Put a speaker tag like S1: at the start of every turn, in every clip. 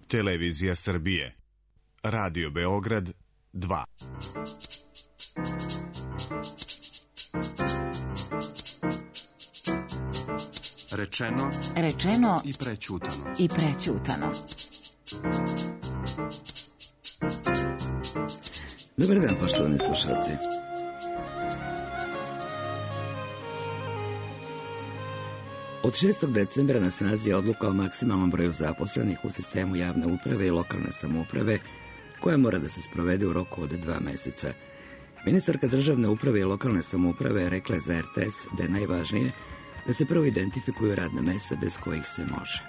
S1: Televizija Srbije. Radio Beograd 2.
S2: Rečeno
S3: i prećutano.
S2: Dobar dan, poštovani slušalci. Od 6. decembra na snazi je odluka o maksimalnom broju zaposlenih u sistemu javne uprave i lokalne samouprave, koja mora da se sprovede u roku od 2 meseca. Ministarka državne uprave i lokalne samouprave rekla je za RTS da je najvažnije da se prvo identifikuju radna mesta bez kojih se može.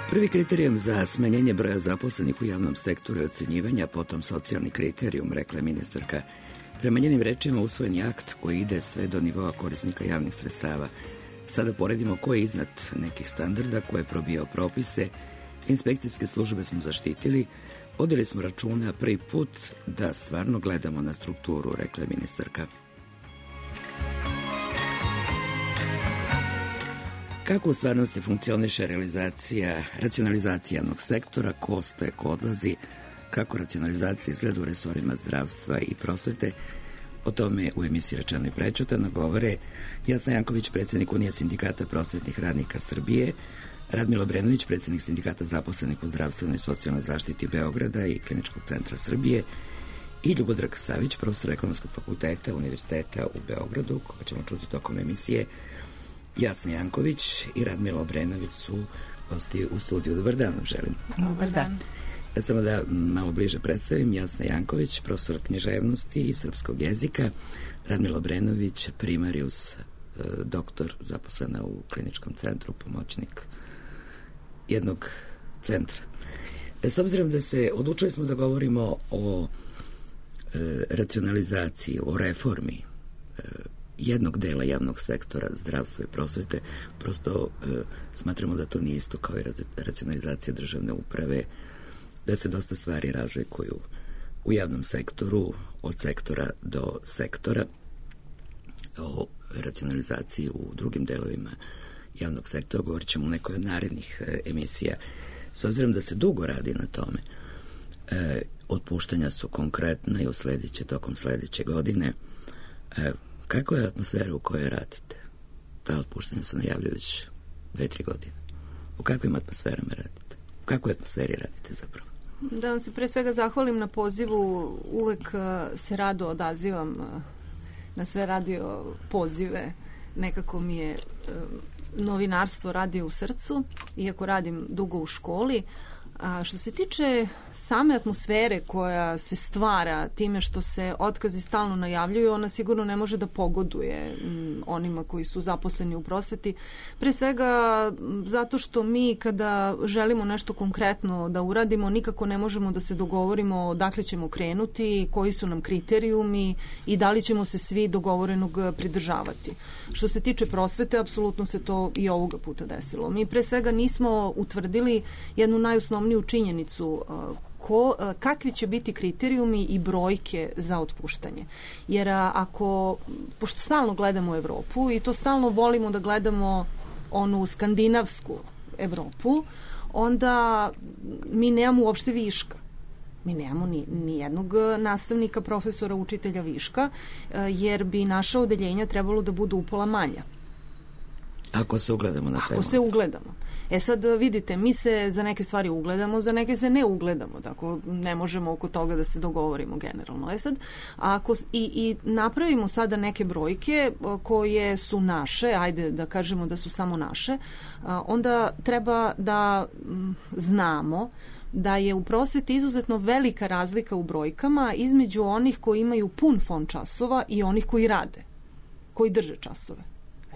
S2: Prvi kriterijum za smanjenje broja zaposlenih u javnom sektoru je ocenjivanje, a potom socijalni kriterijum, rekla je ministarka. Prema njenim rečima usvojen je akt koji ide sve do nivoa korisnika javnih sredstava. Sada poredimo ko je iznad nekih standarda, ko je probijao propise. Inspekcijske službe smo zaštitili, vodili smo računa prvi put da stvarno gledamo na strukturu, rekla je ministarka. Kako u stvarnosti funkcioniše racionalizacija javnog sektora, ko ostaje, ko odlazi, kako racionalizacija izgleda u resorima zdravstva i prosvete, o tome u emisiji Rečeno i prećutano govore Jasna Janković, predsjednik Unije sindikata prosvetnih radnika Srbije, Radmilo Obrenović, predsjednik sindikata zaposlenih u zdravstvenoj i socijalnoj zaštiti Beograda i Kliničkog centra Srbije, i Ljubodrag Savić, profesor Ekonomskog fakulteta Univerziteta u Beogradu, koga ćemo čuti tokom emisije. Jasna Janković i Radmilo Obrenović su gosti u studiju. Dobar dan vam želim.
S3: Dobar dan.
S2: Samo da malo bliže predstavim, Jasna Janković, profesor književnosti i srpskog jezika, Radmilo Obrenović, primarius, doktor, zaposlena u Kliničkom centru, pomoćnik jednog centra. S obzirom da se odlučili smo da govorimo o racionalizaciji, o reformi jednog dela javnog sektora, zdravstva i prosvete, prosto smatramo da to nije isto kao i racionalizacija državne uprave, da se dosta stvari razlikuju u javnom sektoru, od sektora do sektora. O racionalizaciji u drugim delovima javnog sektora govorit ćemo u nekoj od narednih emisija. S obzirom da se dugo radi na tome, otpuštanja su konkretna i tokom sledeće godine. Kako je atmosfera u kojoj radite? Ta otpuštanja se najavljaju već 2-3 godine. U kakvim atmosferama radite? U kakvoj atmosferi radite zapravo?
S3: Da vam se pre svega zahvalim na pozivu. Uvek se rado odazivam na sve radio pozive. Nekako mi je novinarstvo radi u srcu, iako radim dugo u školi. A što se tiče same atmosfere koja se stvara time što se otkazi stalno najavljuju, ona sigurno ne može da pogoduje onima koji su zaposleni u prosveti. Pre svega zato što mi kada želimo nešto konkretno da uradimo, nikako ne možemo da se dogovorimo dakle ćemo krenuti, koji su nam kriterijumi i da li ćemo se svi dogovorenog pridržavati. Što se tiče prosvete, apsolutno se to i ovoga puta desilo. Mi pre svega nismo utvrdili jednu najosnovniju činjenicu kakvi će biti kriterijumi i brojke za otpuštanje. Jer pošto stalno gledamo Evropu i to stalno volimo da gledamo onu skandinavsku Evropu, onda mi nemamo uopšte viška. Mi nemamo ni jednog nastavnika, profesora, učitelja viška, jer bi naša odeljenja trebalo da budu upola manja.
S2: Ako se ugledamo na temu.
S3: Ako se ugledamo. Sad vidite, mi se za neke stvari ugledamo, za neke se ne ugledamo, tako ne možemo oko toga da se dogovorimo generalno. Sad, ako i napravimo sada neke brojke koje su naše, ajde da kažemo da su samo naše, onda treba da znamo da je u prosveti izuzetno velika razlika u brojkama između onih koji imaju pun fond časova i onih koji rade, koji drže časove.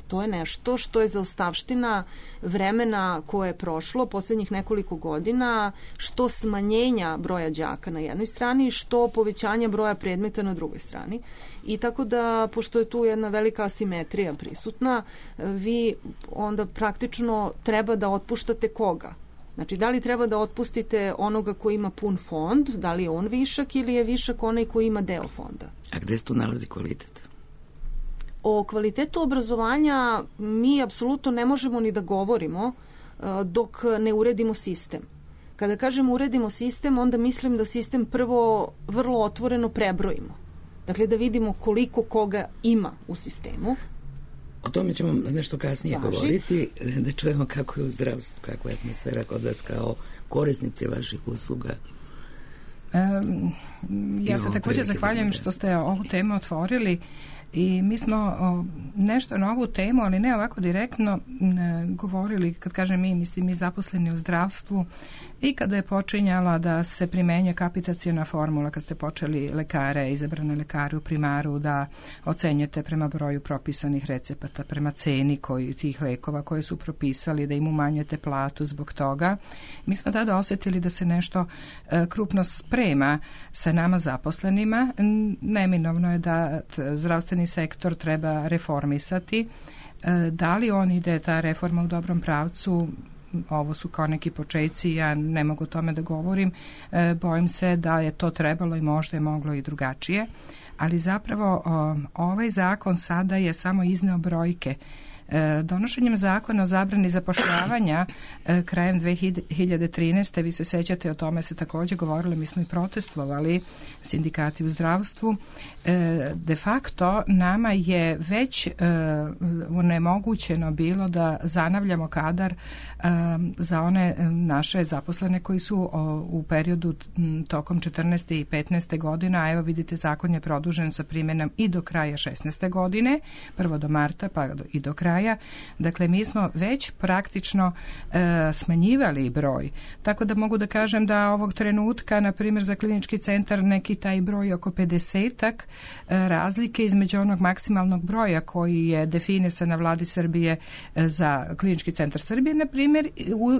S3: To je nešto što je zaostavština vremena koje je prošlo poslednjih nekoliko godina, što smanjenja broja đaka na jednoj strani, što povećanja broja predmeta na drugoj strani. I tako da, pošto je tu jedna velika asimetrija prisutna, vi onda praktično treba da otpuštate koga? Znači, da li treba da otpustite onoga koji ima pun fond, da li je on višak ili je višak onaj koji ima deo fonda?
S2: A gde se tu nalazi kvalitet?
S3: O kvalitetu obrazovanja mi apsolutno ne možemo ni da govorimo dok ne uredimo sistem. Kada kažemo uredimo sistem, onda mislim da sistem prvo vrlo otvoreno prebrojimo. Dakle, da vidimo koliko koga ima u sistemu.
S2: O tome ćemo nešto kasnije govoriti, da čujemo kako je u zdravstvu, kakva je atmosfera kod vas kao korisnici vaših usluga.
S4: Ja se također zahvaljujem što ste ovu temu otvorili i mi smo nešto na ovu temu, ali ne ovako direktno govorili, kad kažem mi, mislim mi zaposleni u zdravstvu, i kada je počinjala da se primenjuje kapitaciona formula, kad ste počeli lekare, izabrane lekare u primaru da ocenjujete prema broju propisanih recepata, prema ceni tih lekova koje su propisali, da im umanjujete platu zbog toga. Mi smo tada osjetili da se nešto krupno sprema sa nama zaposlenima. Neminovno je da zdravstveni sektor treba reformisati. Da li on ide, ta reforma, u dobrom pravcu? Ovo su kao neki počeci, ja ne mogu o tome da govorim. Bojim se da je to trebalo i možda je moglo i drugačije. Ali zapravo ovaj zakon sada je samo izneo brojke. Donošenjem zakona o zabrani zapošljavanja krajem 2013. vi se sećate, o tome se također govorilo, mi smo i protestovali, sindikati u zdravstvu. De facto nama je već onemogućeno bilo da zanavljamo kadar za one naše zaposlene koji su u periodu tokom 14. i 15. godina, a evo vidite, zakon je produžen sa primjenom i do kraja 16. godine, prvo do marta pa i do kraja. Dakle, mi smo već praktično smanjivali broj. Tako da mogu da kažem da ovog trenutka, na primjer za klinički centar, neki taj broj oko 50-ak razlike između onog maksimalnog broja koji je definisan na vladi Srbije za klinički centar Srbije, na primjer,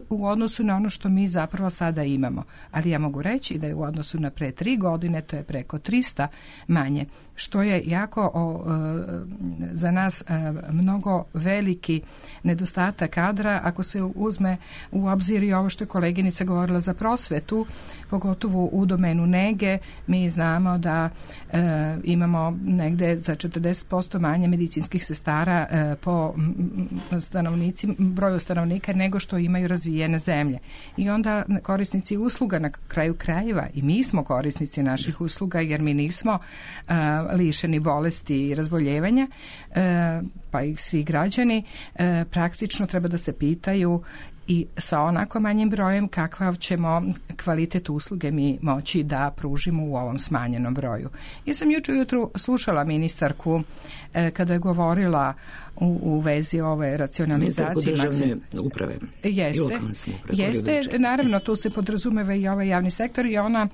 S4: u odnosu na ono što mi zapravo sada imamo. Ali ja mogu reći da je u odnosu na pre 3 godine to je preko 300 manje, što je jako za nas mnogo veliki nedostatak kadra. Ako se uzme u obzir i ovo što je koleginica govorila za prosvetu, pogotovo u domenu nege, mi znamo da imamo negde za 40% manje medicinskih sestara po broju stanovnika nego što imaju razvijene zemlje. I onda korisnici usluga, na kraju krajeva i mi smo korisnici naših usluga, jer mi nismo lišeni bolesti i razboljevanja, pa i svi građani praktično treba da se pitaju i sa onako manjim brojem kakav ćemo kvalitet usluge mi moći da pružimo u ovom smanjenom broju. Ja sam jučer ujutru slušala ministarku kada je govorila u vezi ove racionalizacije.
S2: Ministarku državne uprave i lokalne samouprave.
S4: Jeste, naravno tu se podrazumeva i ovaj javni sektor i ona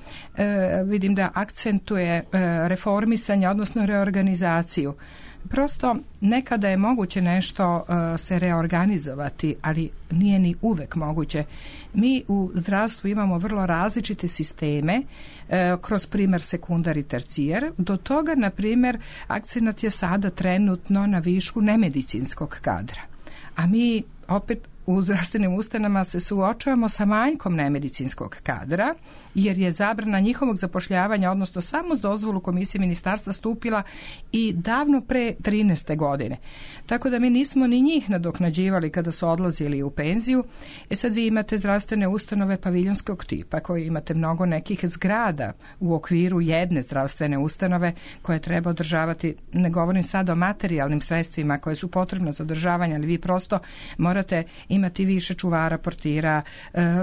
S4: vidim da akcentuje reformisanje, odnosno reorganizaciju. Prosto nekada je moguće nešto se reorganizovati, ali nije ni uvek moguće. Mi u zdravstvu imamo vrlo različite sisteme kroz primer sekundar i tercijer. Do toga, na primjer, akcenat je sada trenutno na višku nemedicinskog kadra. A mi opet u zdravstvenim ustanovama se suočavamo sa manjkom nemedicinskog kadra, jer je zabrana njihovog zapošljavanja, odnosno samo s dozvolu komisije ministarstva, stupila i davno pre 13. godine. Tako da mi nismo ni njih nadoknađivali kada su odlazili u penziju. Sad vi imate zdravstvene ustanove paviljonskog tipa, koji imate mnogo nekih zgrada u okviru jedne zdravstvene ustanove koje treba održavati. Ne govorim sad o materijalnim sredstvima koje su potrebne za održavanje, ali vi prosto morate imati više čuvara, portira,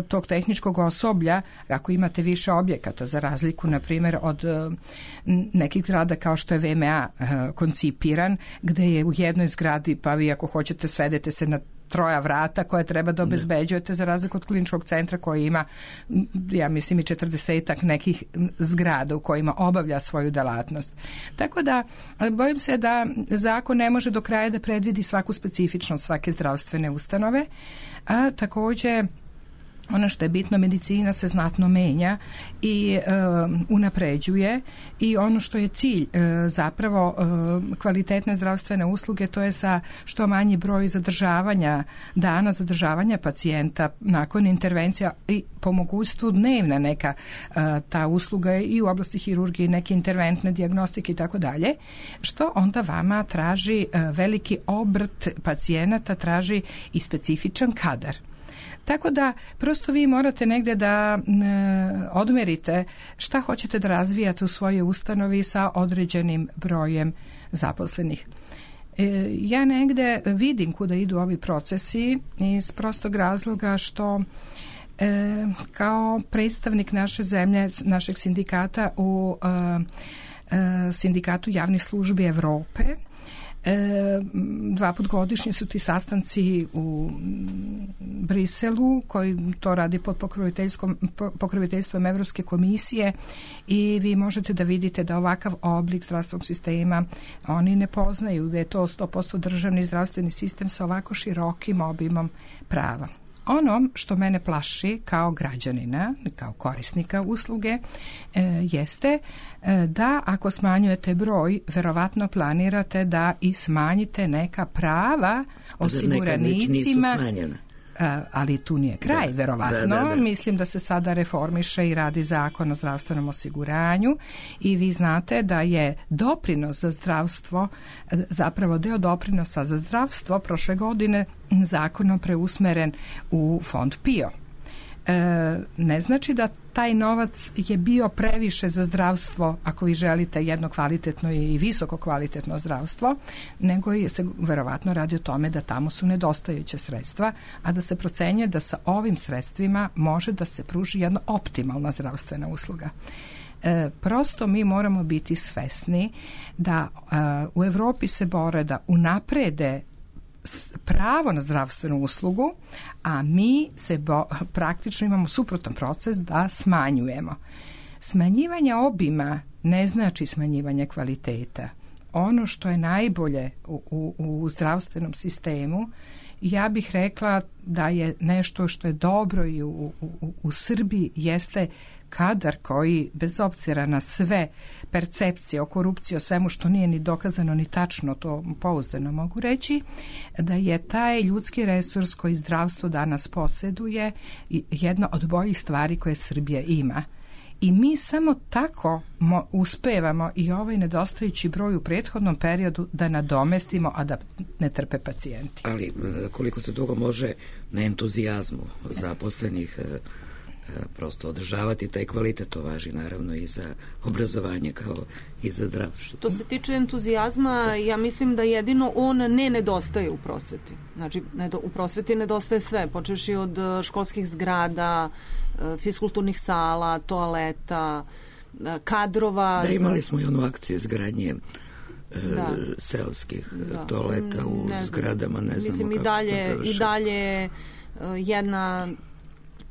S4: tog tehničkog osoblja, ako imate više objekata, za razliku, na primjer, od nekih zgrada kao što je VMA koncipiran, gde je u jednoj zgradi, pa vi ako hoćete svedete se na 3 vrata koje treba da obezbeđujete, za razliku od kliničkog centra koji ima, ja mislim, i 40-ak nekih zgrada u kojima obavlja svoju delatnost. Tako da, bojim se da zakon ne može do kraja da predvidi svaku specifičnost svake zdravstvene ustanove, a također ono što je bitno, medicina se znatno menja i unapređuje i ono što je cilj zapravo kvalitetne zdravstvene usluge, to je sa što manji broj dana zadržavanja pacijenta nakon intervencija i po mogućstvu dnevna neka ta usluga i u oblasti hirurgije, neke interventne dijagnostike i tako dalje, što onda vama traži veliki obrt pacijenata, traži i specifičan kadar. Tako da prosto vi morate negde da odmerite šta hoćete da razvijate u svojoj ustanovi sa određenim brojem zaposlenih. Ja negde vidim kuda idu ovi procesi iz prostog razloga što kao predstavnik naše zemlje, našeg sindikata u Sindikatu javnih službi Evrope, 2 put godišnje su ti sastanci u Briselu koji to radi pod pokroviteljstvom Evropske komisije i vi možete da vidite da ovakav oblik zdravstvenog sistema oni ne poznaju, da je to 100% državni zdravstveni sistem sa ovako širokim obimom prava. Ono što mene plaši kao građanina, kao korisnika usluge, jeste da ako smanjujete broj, verovatno planirate da i smanjite neka prava osiguranicima.
S2: Neka nisu smanjena.
S4: Ali tu nije kraj, verovatno. Da. Mislim da se sada reformiše i radi zakon o zdravstvenom osiguranju i vi znate da je doprinos za zdravstvo, zapravo deo doprinosa za zdravstvo prošle godine zakonom preusmeren u fond PIO. Ne znači da taj novac je bio previše za zdravstvo ako vi želite jedno kvalitetno i visoko kvalitetno zdravstvo, nego se verovatno radi o tome da tamo su nedostajuće sredstva, a da se procenjuje da sa ovim sredstvima može da se pruži jedna optimalna zdravstvena usluga. Prosto mi moramo biti svesni da u Evropi se bore da unaprede pravo na zdravstvenu uslugu, a mi se praktično imamo suprotan proces da smanjujemo. Smanjivanje obima ne znači smanjivanje kvaliteta. Ono što je najbolje u zdravstvenom sistemu, ja bih rekla da je nešto što je dobro i u Srbiji jeste kadar koji, bez obzira na sve percepcije o korupciji, o svemu što nije ni dokazano ni tačno, to pouzdano mogu reći, da je taj ljudski resurs koji zdravstvo danas posjeduje jedna od boljih stvari koje Srbija ima. I mi samo tako uspevamo i ovaj nedostajući broj u prethodnom periodu da nadomestimo, a da ne trpe pacijenti.
S2: Ali koliko se dugo može na entuzijazmu zaposlenih prosto održavati taj kvalitet, to važi naravno i za obrazovanje kao i za zdravstvo.
S3: Što se tiče entuzijazma, ja mislim da jedino on ne nedostaje u prosveti. Znači, u prosveti nedostaje sve, počevši od školskih zgrada, fiskulturnih sala, toaleta, kadrova.
S2: Da, imali smo i onu akciju izgradnje seoskih toaleta u zgradama, ne znamo
S3: mislim,
S2: kako se to
S3: i dalje jedna,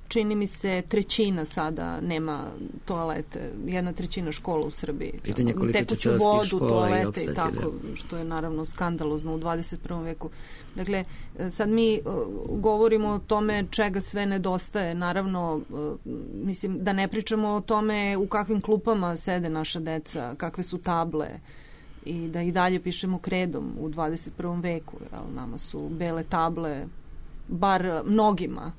S3: čini mi se, 1/3 sada nema toalete, 1/3 škola u Srbiji.
S2: Pitanje koliko će
S3: tekuću vodu, toalete
S2: i
S3: tako,
S2: da.
S3: što je naravno skandalozno u 21. veku. Dakle, sad mi govorimo o tome čega sve nedostaje. Naravno, mislim, da ne pričamo o tome u kakvim klupama sede naša deca, kakve su table i da i dalje pišemo kredom u 21. veku. Jel? Nama su bele table, bar mnogima,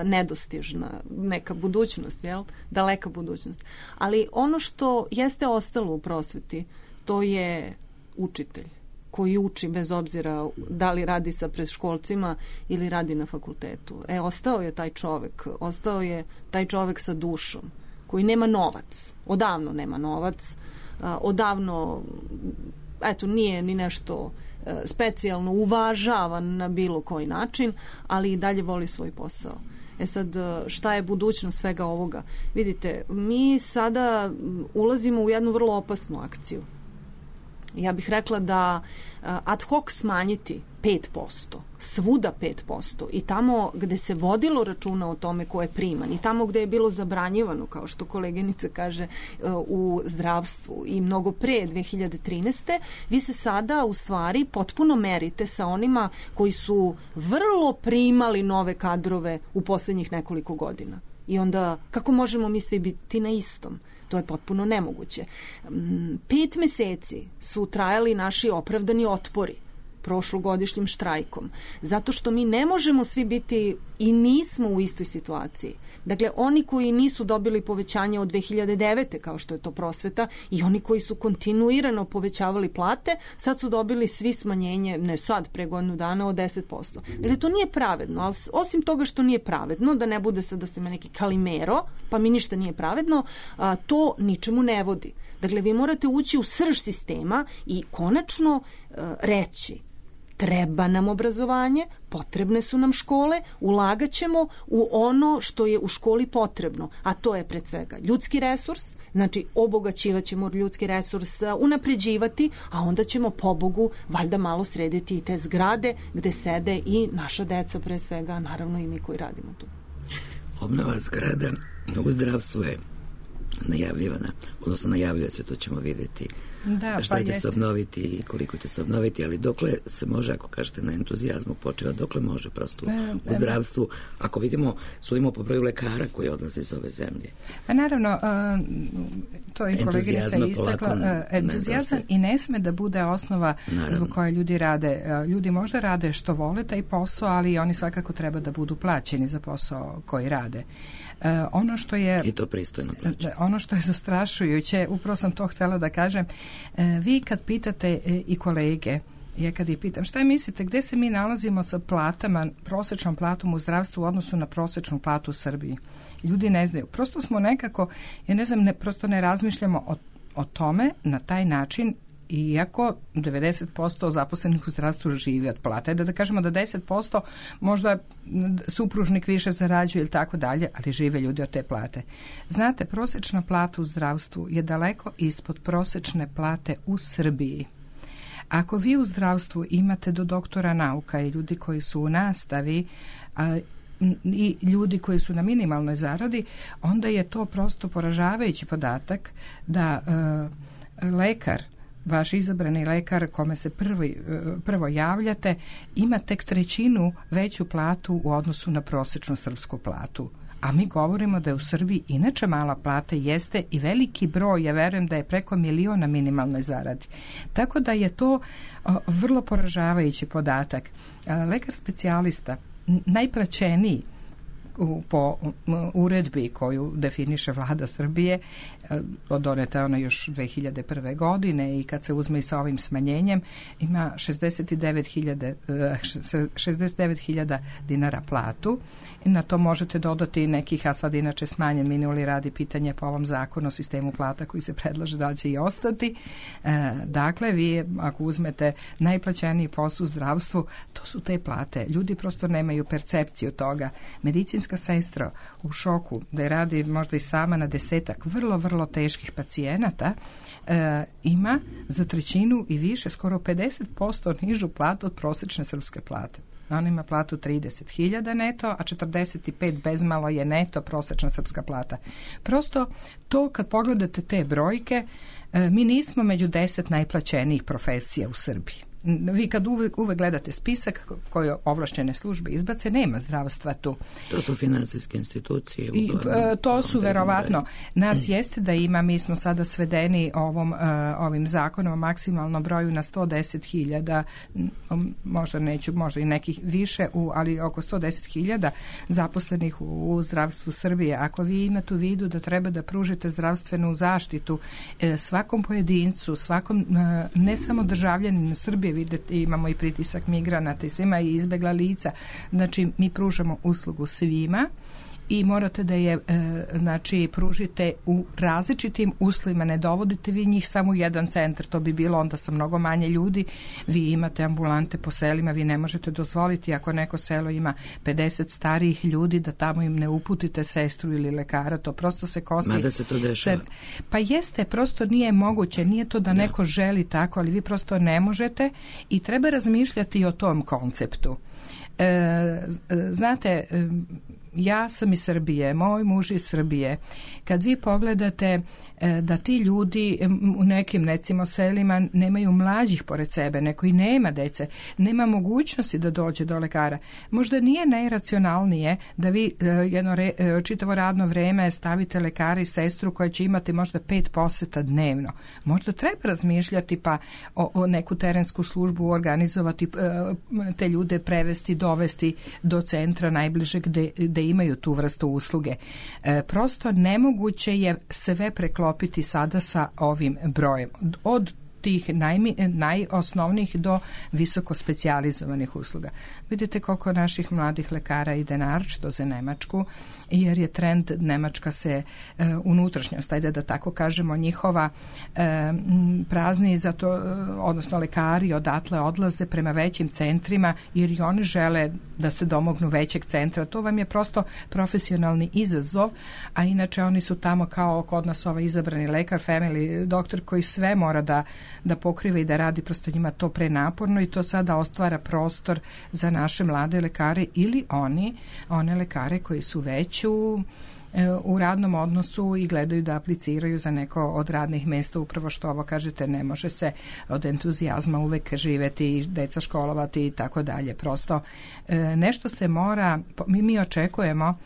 S3: nedostižna neka budućnost, jel? Daleka budućnost. Ali ono što jeste ostalo u prosveti, to je učitelj koji uči bez obzira da li radi sa predškolcima ili radi na fakultetu. Ostao je taj čovek sa dušom koji nema novac. Odavno nema novac. Odavno nije ni nešto specijalno uvažavan na bilo koji način, ali i dalje voli svoj posao. Sad, šta je budućnost svega ovoga? Vidite, mi sada ulazimo u jednu vrlo opasnu akciju. Ja bih rekla da ad hoc smanjiti 5%, svuda 5%, i tamo gde se vodilo računa o tome ko je priman i tamo gde je bilo zabranjivano, kao što koleginica kaže, u zdravstvu i mnogo pre 2013. vi se sada u stvari potpuno merite sa onima koji su vrlo primali nove kadrove u poslednjih nekoliko godina. I onda kako možemo mi svi biti na istom? To je potpuno nemoguće. 5 meseci su trajali naši opravdani otpori prošlogodišnjim štrajkom, zato što mi ne možemo svi biti i nismo u istoj situaciji. Dakle, oni koji nisu dobili povećanje od 2009. kao što je to prosveta i oni koji su kontinuirano povećavali plate, sad su dobili svi smanjenje, ne sad, pre godinu dana, od 10%. Dakle, to nije pravedno, ali osim toga što nije pravedno, da ne bude sad da se me neki kalimero, pa mi ništa nije pravedno, to ničemu ne vodi. Dakle, vi morate ući u srž sistema i konačno reći: treba nam obrazovanje, potrebne su nam škole, ulagaćemo u ono što je u školi potrebno, a to je pred svega ljudski resurs, znači obogaćivat ćemo ljudski resurs, unapređivati, a onda ćemo, pobogu, valjda malo srediti i te zgrade gde sede i naša deca pre svega, naravno i mi koji radimo tu.
S2: Obnova zgrada u zdravstvu je najavljivana, odnosno najavljuje se, to ćemo vidjeti. Da, šta će se obnoviti i koliko će se obnoviti, ali dokle se može, ako kažete na entuzijazmu počeva, dokle može prosto u zdravstvu, ako vidimo, sudimo po broju lekara koji odlaze iz ove zemlje.
S4: Pa naravno, to je koleginica istakla, entuzijazam i ne sme da bude osnova zbog koje ljudi rade. Ljudi možda rade što vole taj posao, ali oni svakako treba da budu plaćeni za posao koji rade. Ono što je,
S2: i to pristojno plaća.
S4: Ono što je zastrašujuće, upravo sam to htjela da kažem, vi kad pitate i kolege, ja kad ih pitam šta mislite, gde se mi nalazimo sa platama, prosječnom platom u zdravstvu u odnosu na prosječnu platu u Srbiji? Ljudi ne znaju. Prosto smo nekako, ja ne znam, prosto ne razmišljamo o tome na taj način, iako 90% zaposlenih u zdravstvu živi od plata. Da kažemo da 10% možda supružnik više zarađuje ili tako dalje, ali žive ljudi od te plate. Znate, prosječna plata u zdravstvu je daleko ispod prosječne plate u Srbiji. Ako vi u zdravstvu imate do doktora nauka i ljudi koji su u nastavi i ljudi koji su na minimalnoj zaradi, onda je to prosto poražavajući podatak da lekar, vaš izabrani lekar kome se prvo javljate, ima tek 1/3 veću platu u odnosu na prosječnu srpsku platu. A mi govorimo da je u Srbiji inače mala plata jeste i veliki broj, ja verujem da je preko 1 milion na minimalnoj zaradi. Tako da je to vrlo poražavajući podatak. Lekar specijalista, najplaćeniji po uredbi koju definiše vlada Srbije, doneta je ona još 2001. godine i kad se uzme i sa ovim smanjenjem, ima 69.000 dinara platu. I na to možete dodati nekih, a sad inače smanjen minuli radi pitanje po ovom zakonu o sistemu plata koji se predlaže da li će i ostati. Dakle, vi ako uzmete najplaćeniji posao u zdravstvu, to su te plate. Ljudi prosto nemaju percepciju toga. Medicinska sestra u šoku da je radi možda i sama na 10 vrlo teških pacijenata, ima za 1/3 i više, skoro 50% nižu platu od prosječne srpske plate. On ima platu 30.000 neto, a 45 bezmalo je neto prosječna srpska plata. Prosto to kad pogledate te brojke, mi nismo među 10 najplaćenijih profesija u Srbiji. Vi kad uvek gledate spisak koje ovlašćene službe izbace, nema zdravstva tu.
S2: To su financijske institucije.
S4: To su verovatno. Nas jeste da ima, mi smo sada svedeni ovim zakonom o maksimalnom broju na 110.000, možda i nekih više, ali oko 110.000 zaposlenih u zdravstvu Srbije. Ako vi imate u vidu da treba da pružite zdravstvenu zaštitu svakom pojedincu, svakom, ne samo državljaninu Srbije, vidite, imamo i pritisak migranata i svima i izbegla lica. Znači, mi pružamo uslugu svima i morate da je znači pružite u različitim uslovima, ne dovodite vi njih samo u jedan centar, to bi bilo onda sa mnogo manje ljudi, vi imate ambulante po selima, vi ne možete dozvoliti ako neko selo ima 50 starijih ljudi da tamo im ne uputite sestru ili lekara, to prosto se kosi.
S2: Mada se to dešava.
S4: Pa jeste, prosto nije moguće, nije to da neko želi tako, ali vi prosto ne možete i treba razmišljati o tom konceptu. Znate, ja sam iz Srbije, moj muž iz Srbije. Kad vi pogledate da ti ljudi u nekim recimo selima nemaju mlađih pored sebe, neko i nema dece, nema mogućnosti da dođe do lekara. Možda nije najracionalnije da vi jedno čitavo radno vreme stavite lekara i sestru koja će imati možda 5 poseta dnevno. Možda treba razmišljati pa o neku terensku službu organizovati, te ljude prevesti, dovesti do centra najbližeg gde imaju tu vrstu usluge. Prosto nemoguće je sve preklopiti sada sa ovim brojem. Od tih najosnovnijih do visoko specijalizovanih usluga. Vidite koliko naših mladih lekara ide naročito za Nemačku, jer je trend Nemačka se unutrašnjost, ajde da tako kažemo, njihova prazni, zato, odnosno lekari odatle odlaze prema većim centrima, jer i oni žele da se domognu većeg centra. To vam je prosto profesionalni izazov, a inače oni su tamo kao kod nas ovaj izabrani lekar, family doktor koji sve mora da pokriva i da radi, prosto njima to prenaporno i to sada ostvara prostor za naše mlade lekare ili one lekare koji su već u radnom odnosu i gledaju da apliciraju za neko od radnih mjesta, upravo što ovo kažete, ne može se od entuzijazma uvek živeti i deca školovati i tako dalje. Prosto nešto se mora, mi očekujemo,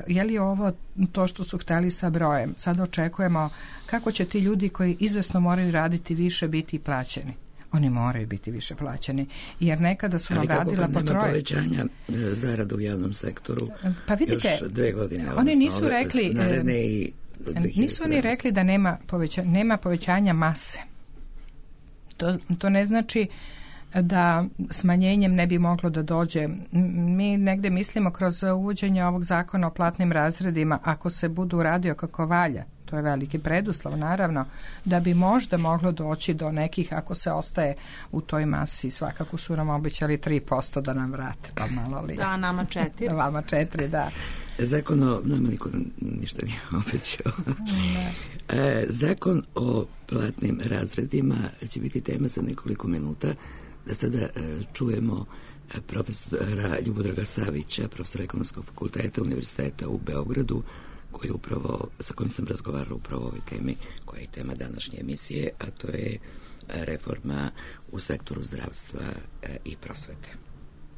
S4: je li ovo to što su hteli sa brojem? Sad očekujemo kako će ti ljudi koji izvesno moraju raditi više biti plaćeni. Oni moraju biti više plaćeni, jer nekada su nam radila po troje. Ali kako nema
S2: povećanja zarada u javnom sektoru,
S4: pa vidite,
S2: još 2 godine.
S4: Oni nisu rekli,
S2: nisu
S4: oni rekli da nema povećanja mase. To ne znači da smanjenjem ne bi moglo da dođe. Mi negde mislimo kroz uvođenje ovog zakona o platnim razredima, ako se budu radio kako valja, to je veliki preduslov naravno, da bi možda moglo doći do nekih, ako se ostaje u toj masi, svakako su nam obećali 3% da nam vrate, pa malo li.
S3: Da, nama 4.
S4: Vama 4, da.
S2: Zakon o, nama niko ništa nije obećao. Zakon o platnim razredima će biti tema za nekoliko minuta. Da sada čujemo profesora Ljubodraga Savića, profesora Ekonomskog fakulteta Univerziteta u Beogradu, koji upravo, sa kojim sam razgovarala upravo o ovoj temi, koja je tema današnje emisije, a to je reforma u sektoru zdravstva i prosvete.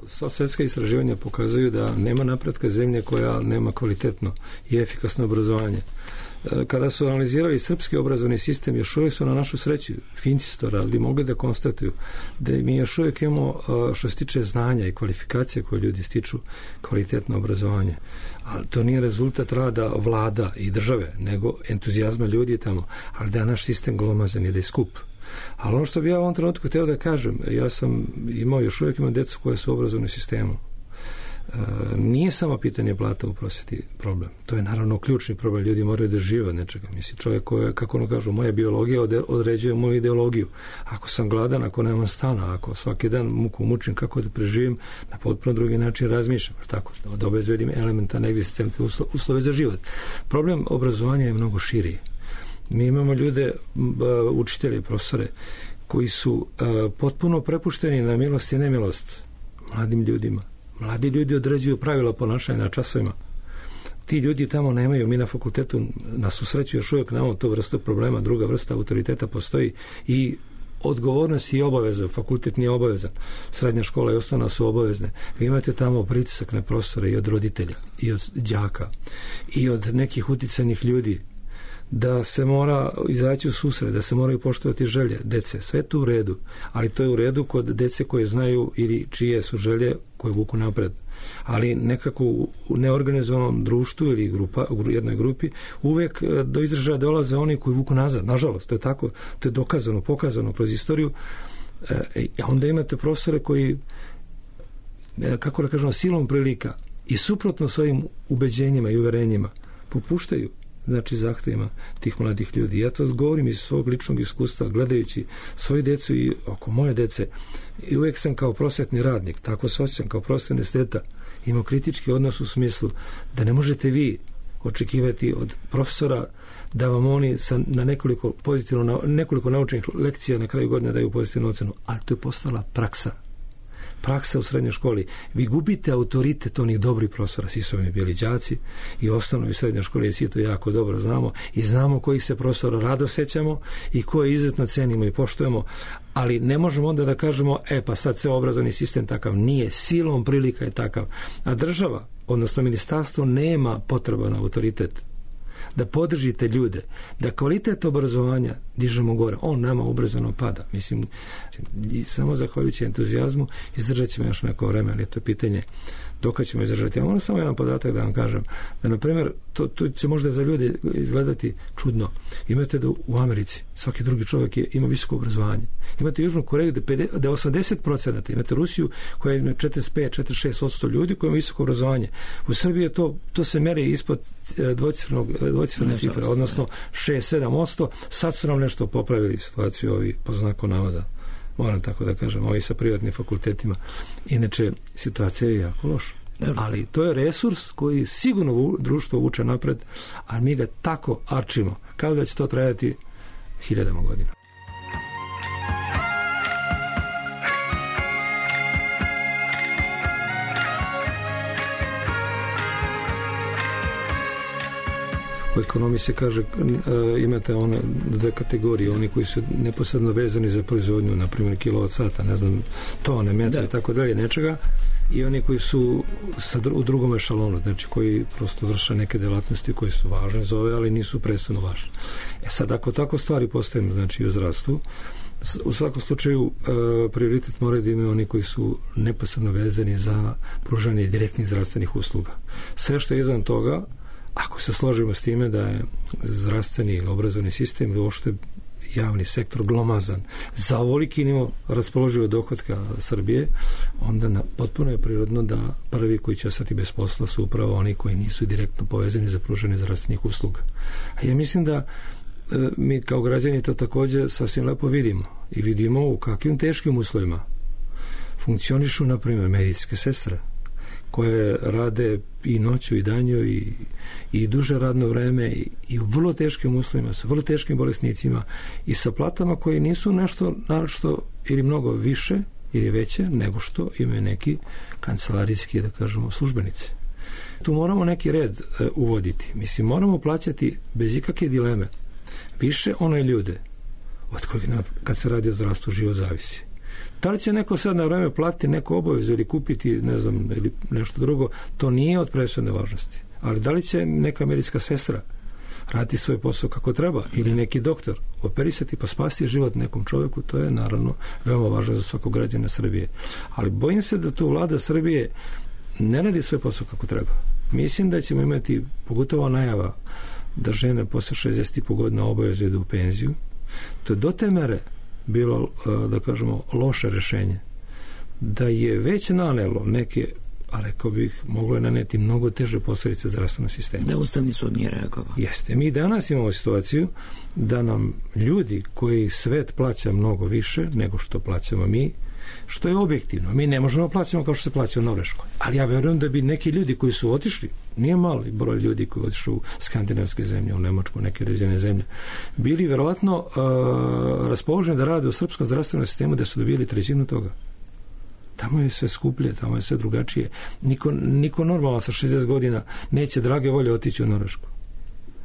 S5: Sva svetska istraživanja pokazuju da nema napretka zemlje koja nema kvalitetno i efikasno obrazovanje. Kada su analizirali srpski obrazovni sistem, još uvijek su na našu sreću, Finci su to radili, mogli da konstatuju da mi još uvijek imamo, što se tiče znanja i kvalifikacije koje ljudi stiču, kvalitetno obrazovanje. Ali to nije rezultat rada vlada i države, nego entuzijazma ljudi tamo, ali da je naš sistem glomazan i da je skup. Ali ono što bi ja u ovom trenutku htio da kažem, ja sam imao, još uvijek imam djecu koje su u obrazovnom sistemu. Nije samo pitanje plata u prosvjeti problem. To je naravno ključni problem. Ljudi moraju da žive od nečega. Mislim, čovjek koji, kako ono kažu, moja biologija određuje moju ideologiju. Ako sam gladan, ako nemam stana, ako svaki dan muku mučim, kako da preživim, na potpuno drugi način razmišljam. Tako, da obezbedim elementarne egzistencijalne uslove za život. Problem obrazovanja je mnogo širi. Mi imamo ljude, učitelje, profesore, koji su potpuno prepušteni na milost i nemilost mladim ljudima. Mladi ljudi određuju pravila ponašanja na časovima. Ti ljudi tamo nemaju, mi na fakultetu na susreću još uvijek nemamo tu vrstu problema, druga vrsta autoriteta postoji i odgovornost i obaveza, fakultet nije obavezan, srednja škola i osnovna su obavezne. Vi imate tamo pritisak na profesore i od roditelja, i od đaka, i od nekih uticajnih ljudi, da se mora izaći u susret, da se moraju poštovati želje dece. Sve to u redu, ali to je u redu kod dece koje znaju ili čije su želje koje vuku napred. Ali nekako u neorganizovanom društvu ili u jednoj grupi uvijek do izražaja dolaze oni koji vuku nazad. Nažalost, to je tako, to je dokazano, pokazano kroz istoriju. Onda imate profesore koji, kako da kažemo, silom prilika i suprotno svojim ubeđenjima i uverenjima popuštaju znači zahtevima tih mladih ljudi. Ja to govorim iz svog ličnog iskustva, gledajući svoju decu i oko moje dece. I uvijek sam kao prosvetni radnik, tako se osjećam kao prosvetni esteta, imao kritički odnos u smislu da ne možete vi očekivati od profesora da vam oni na nekoliko naučenih lekcija na kraju godine daju pozitivnu ocenu, ali to je postala praksa u srednjoj školi. Vi gubite autoritet onih dobrih profesora, svi su mi bili đaci i osnovnoj i srednjoj školi, svi to jako dobro znamo i znamo kojih se profesora rado sećamo i koje izuzetno cenimo i poštujemo, ali ne možemo onda da kažemo pa sad se obrazovni sistem takav nije, silom prilika je takav, a država, odnosno ministarstvo nema potreban autoritet da podržite ljude, da kvalitet obrazovanja dižemo gore. On nama ubrzano pada. Mislim, i samo zahvaljujući entuzijazmu izdržat ćemo još neko vreme, ali to je pitanje dok ćemo izdržati. Ja moram samo jedan podatak da vam kažem, da na primjer, to će možda za ljude izgledati čudno. Imate da u Americi svaki drugi čovjek ima visoko obrazovanje. Imate Južnu Koreju da 80%, imate Rusiju koja ima 45-46% ljudi koji ima visoko obrazovanje. U Srbiji je to se meri ispod dvocifrene cifre, odnosno 6-7%. Sad su nam nešto popravili situaciju ovi po znaku navoda. Moram tako da kažem, ovi sa privatnim fakultetima. Inače, situacija je jako loša. Ali to je resurs koji sigurno društvo vuče napred, ali mi ga tako arčimo, kao da će to trajati 1000 godina. U ekonomiji se kaže, imate one dve kategorije, oni koji su neposredno vezani za proizvodnju, na primjer kilovat sata, ne znam, tone, metra i tako dalje, nečega, i oni koji su u drugom ešalonu, znači koji prosto vrše neke delatnosti koje su važne za ove, ali nisu presudno važne. Sad, ako tako stvari postavimo, znači u zdravstvu, u svakom slučaju prioritet moraju da imaju oni koji su neposredno vezani za pružanje direktnih zdravstvenih usluga. Sve što je izvan toga, ako se složimo s time da je zdravstveni ili obrazovni sistem ili uopšte javni sektor glomazan za ovoliki nivo raspoloživog dohotka Srbije, onda potpuno je prirodno da prvi koji će ostati bez posla su upravo oni koji nisu direktno povezani za pružanje zdravstvenih usluga. A ja mislim da mi kao građani to također sasvim lepo vidimo i vidimo u kakvim teškim uslovima funkcionišu, na primjer, medicinske sestre koje rade i noću i danju i duže radno vreme i u vrlo teškim uslovima, sa vrlo teškim bolesnicima i sa platama koje nisu nešto naročito ili mnogo više ili veće nego što imaju neki kancelarijski, da kažemo, službenici. Tu moramo neki red uvoditi. Mislim, moramo plaćati bez ikakve dileme više one ljude od kojih kad se radi o zdravstvu život zavisi. Da li će neko sad na vreme platiti neku obavezu ili kupiti, ne znam, ili nešto drugo, to nije od presudne važnosti. Ali da li će neka medicinska sestra raditi svoj posao kako treba ili neki doktor operisati pa spasiti život nekom čovjeku, to je naravno veoma važno za svakog građana Srbije. Ali bojim se da tu vlada Srbije ne radi svoj posao kako treba. Mislim da ćemo imati, pogotovo najava da žene posle 60,5 godina obavezu idu u penziju. To je do te mere bilo, da kažemo, loše rješenje, da je već nanelo neke, a rekao bih, moglo je naneti mnogo teže posljedice zdravstvenog sistema.
S2: Da Ustavni sud nije reagovao.
S5: Jeste. Mi danas imamo situaciju da nam ljudi koji svet plaća mnogo više nego što plaćamo mi, što je objektivno. Mi ne možemo plaćamo kao što se plaća u Norveškoj. Ali ja vjerujem da bi neki ljudi koji su otišli, nije mali broj ljudi koji otišli u skandinavske zemlje, u Nemačku, neke razvijene zemlje, bili vjerovatno raspoloženi da rade u srpskom zdravstvenom sistemu, da su dobili trećinu toga. Tamo je sve skuplje, tamo je sve drugačije. Niko normalno sa 60 godina neće drage volje otići u Norvešku.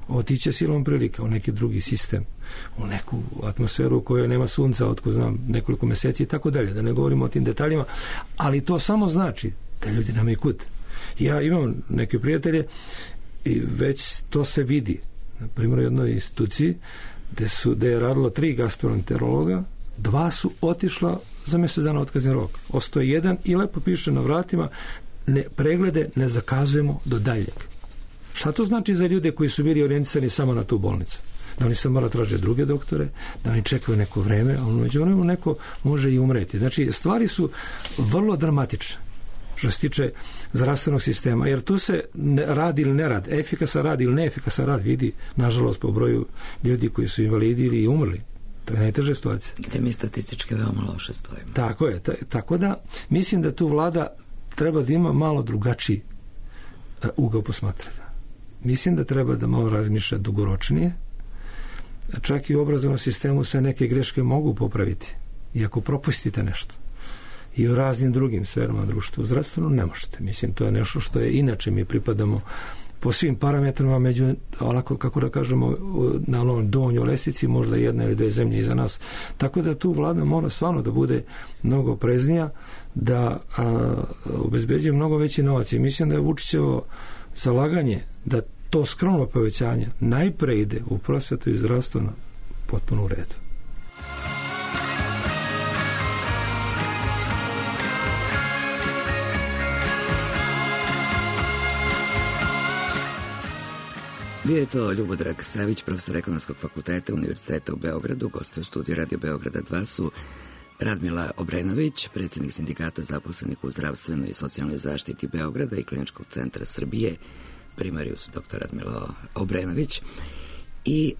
S5: Otiće silom prilika u neki drugi sistem, u neku atmosferu u kojoj nema sunca, otko znam, nekoliko mjeseci i tako dalje, da ne govorimo o tim detaljima, ali to samo znači da ljudi nemaju kud. Ja imam neke prijatelje i već to se vidi. Na primjer, u jednoj instituciji gde je radilo 3 gastroenterologa, 2 su otišla za mjesec dana otkazni rok. Ostoji jedan i lepo piše na vratima, preglede ne zakazujemo do daljeg. Šta to znači za ljude koji su bili orijentisani samo na tu bolnicu? Da oni se mora traže druge doktore, da oni čekaju neko vreme, a međuvremenu neko može i umreti. Znači, stvari su vrlo dramatične. što se tiče zdravstvenog sistema, jer tu se rad ili nerad, efikasan rad ili neefikasan rad vidi, nažalost, po broju ljudi koji su invalidi ili umrli. To je najteža situacija.
S2: Gde mi statistički veoma loše stojimo.
S5: Tako je. Tako da mislim da tu vlada treba da ima malo drugačiji ugao posmatranja. Mislim da treba da malo razmišlja dugoročnije. Čak i u obrazovnom sistemu se neke greške mogu popraviti. I ako propustite nešto. I u raznim drugim sferama društva, u zdravstvenu ne možete. Mislim, to je nešto što je inače mi pripadamo po svim parametrima među, onako kako da kažemo, na onom donjoj lestvici, možda jedna ili dve zemlje iza nas. Tako da tu vlada mora stvarno da bude mnogo opreznija, da obezbeđuje mnogo veći novac. I mislim da je Vučićevo zalaganje da to skromno povećanje najpre ide u prosvetu i zdravstvo na potpuno u redu.
S2: Bio je to Ljubodrag Savić, profesor Ekonomskog fakulteta Univerziteta u Beogradu. Goste u studiju Radio Beograda 2 su Radmila Obrenović, predsjednik sindikata zaposlenih u zdravstvenoj i socijalnoj zaštiti Beograda i Kliničkog centra Srbije, primarius dr. Radmila Obrenović, i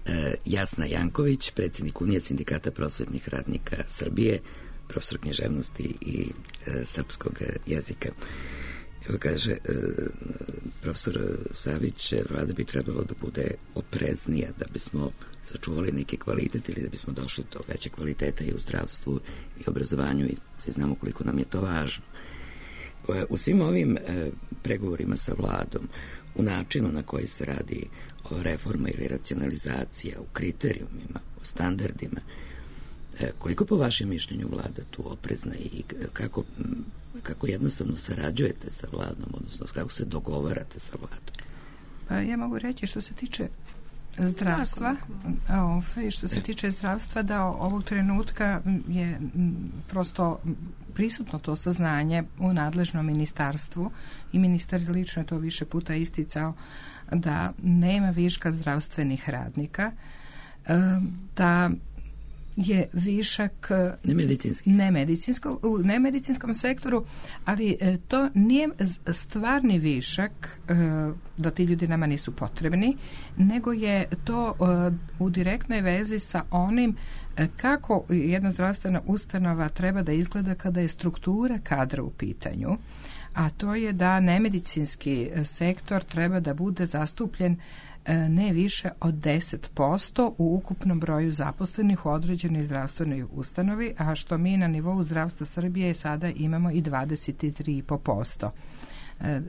S2: Jasna Janković, predsjednik Unije sindikata prosvetnih radnika Srbije, profesor književnosti i srpskog jezika. Evo kaže profesor Savić, vlada bi trebalo da bude opreznija da bismo sačuvali neki kvalitet ili da bismo došli do većeg kvaliteta i u zdravstvu i obrazovanju, i svi znamo koliko nam je to važno. U svim ovim pregovorima sa vladom, u načinu na koji se radi o reforma ili racionalizacija, u kriterijumima, u standardima, koliko po vašem mišljenju vlada tu oprezna i kako jednostavno sarađujete sa vladom, odnosno kako se dogovarate sa vladom?
S4: Pa ja mogu reći što se tiče zdravstva, da ovog trenutka je prosto prisutno to saznanje u nadležnom ministarstvu i ministar lično je to više puta isticao da nema viška zdravstvenih radnika, da je višak u nemedicinskom sektoru, ali to nije stvarni višak da ti ljudi nama nisu potrebni, nego je to u direktnoj vezi sa onim kako jedna zdravstvena ustanova treba da izgleda kada je struktura kadra u pitanju, a to je da nemedicinski sektor treba da bude zastupljen ne više od 10% u ukupnom broju zaposlenih u određenoj zdravstvenoj ustanovi, a što mi na nivou zdravstva Srbije sada imamo i 23,5%.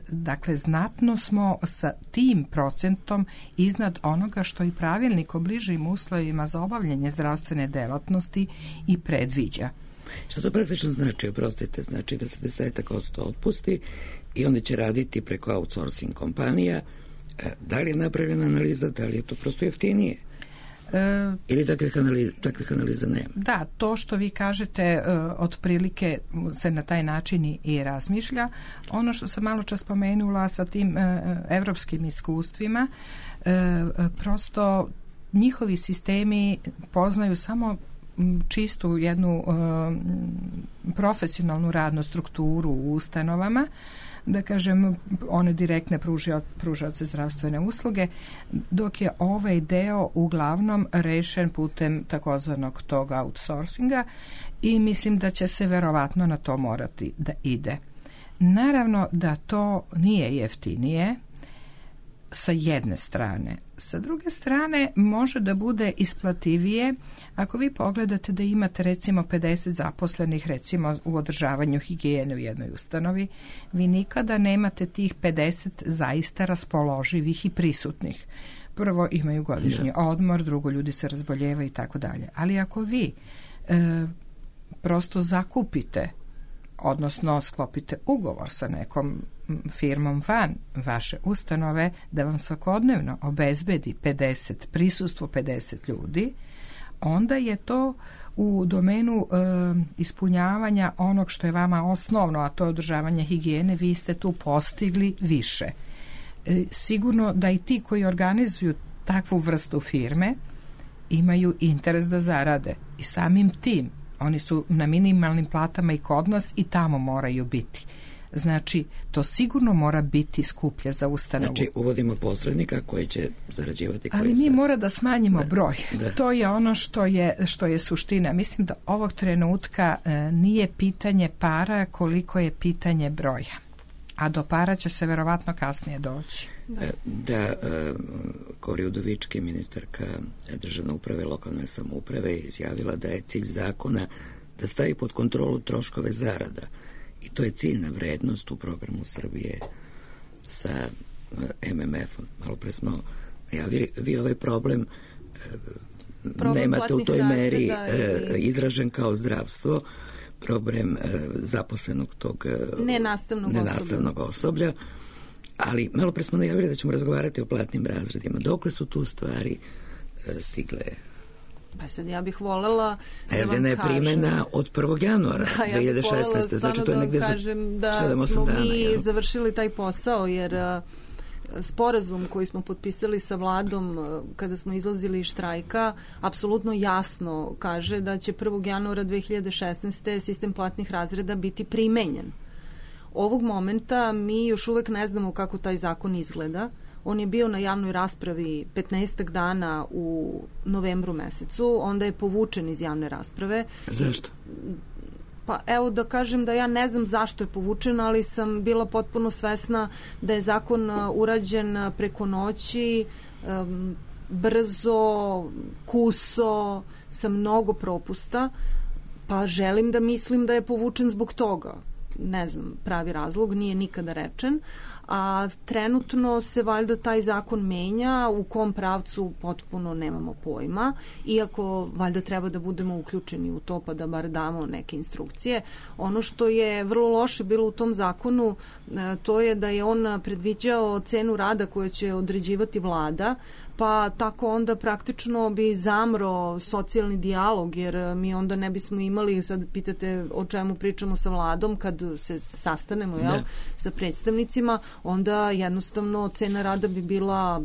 S4: Dakle, znatno smo sa tim procentom iznad onoga što i pravilnik o bližim uslovima za obavljanje zdravstvene delatnosti i predviđa.
S2: Što to praktično znači, oprostite, znači da se 10% otpusti i oni će raditi preko outsourcing kompanija. Da li je napravljena analiza, da li je to prosto jeftinije? Ili takvih analiza nema?
S4: Da, to što vi kažete otprilike se na taj način i razmišlja. Ono što sam malo čas spomenula sa tim evropskim iskustvima, prosto njihovi sistemi poznaju samo čistu jednu profesionalnu radnu strukturu u ustanovama, da kažem, one direktne pružaoce zdravstvene usluge, dok je ovaj deo uglavnom rešen putem takozvanog tog outsourcinga i mislim da će se verovatno na to morati da ide. Naravno da to nije jeftinije sa jedne strane. Sa druge strane može da bude isplativije ako vi pogledate da imate recimo 50 zaposlenih recimo u održavanju higijene u jednoj ustanovi, vi nikada nemate tih 50 zaista raspoloživih i prisutnih. Prvo imaju godišnji odmor, drugo ljudi se razboljevaju i tako dalje. Ali ako vi prosto zakupite, odnosno sklopite ugovor sa nekom firmom van vaše ustanove da vam svakodnevno obezbedi prisustvo 50 ljudi, onda je to u domenu ispunjavanja onog što je vama osnovno, a to je održavanje higijene, vi ste tu postigli više. Sigurno da i ti koji organizuju takvu vrstu firme imaju interes da zarade i samim tim oni su na minimalnim platama i kod nas i tamo moraju biti. Znači, to sigurno mora biti skuplje za ustanovu.
S2: Znači, uvodimo posrednika koji će zarađivati.
S4: Ali mi mora da smanjimo broj. Da. To je ono što je suština. Mislim da ovog trenutka nije pitanje para koliko je pitanje broja. A do para će se verovatno kasnije doći.
S2: Da, Kori Udovički, ministarka državne uprave i lokalne samouprave, izjavila da je cilj zakona da stavi pod kontrolu troškove zarada. I to je ciljna vrednost u programu Srbije sa MMF-om. Malo pre smo najavili, vi ovaj problem nemate u toj meri izražen kao zdravstvo, problem zaposlenog tog nenastavnog osoblja, ali malo pre smo najavili da ćemo razgovarati o platnim razredima. Dokle su tu stvari stigle?
S3: Pa sad ja bih volela
S2: najavljena je primjena od 1. januara 2016. Znači to je negdje za 7-8 dana.
S3: Da smo mi završili taj posao, jer sporazum koji smo potpisali sa vladom kada smo izlazili iz štrajka apsolutno jasno kaže da će 1. januara 2016. sistem platnih razreda biti primenjen. Ovog momenta mi još uvek ne znamo kako taj zakon izgleda. On je bio na javnoj raspravi 15 dana u novembru mesecu, onda je povučen iz javne rasprave.
S2: Zašto?
S3: Pa evo da kažem da ja ne znam zašto je povučen, ali sam bila potpuno svesna da je zakon urađen preko noći, brzo, kuso, sa mnogo propusta, pa želim da mislim da je povučen zbog toga. Ne znam, pravi razlog, nije nikada rečen, a trenutno se valjda taj zakon menja, u kom pravcu potpuno nemamo pojma, iako valjda treba da budemo uključeni u to pa da bar damo neke instrukcije. Ono što je vrlo loše bilo u tom zakonu, to je da je on predviđao cenu rada koju će određivati vlada, pa tako onda praktično bi zamro socijalni dijalog, jer mi onda ne bismo imali, sad pitate o čemu pričamo sa vladom, kad se sastanemo sa predstavnicima, onda jednostavno cena rada bi bila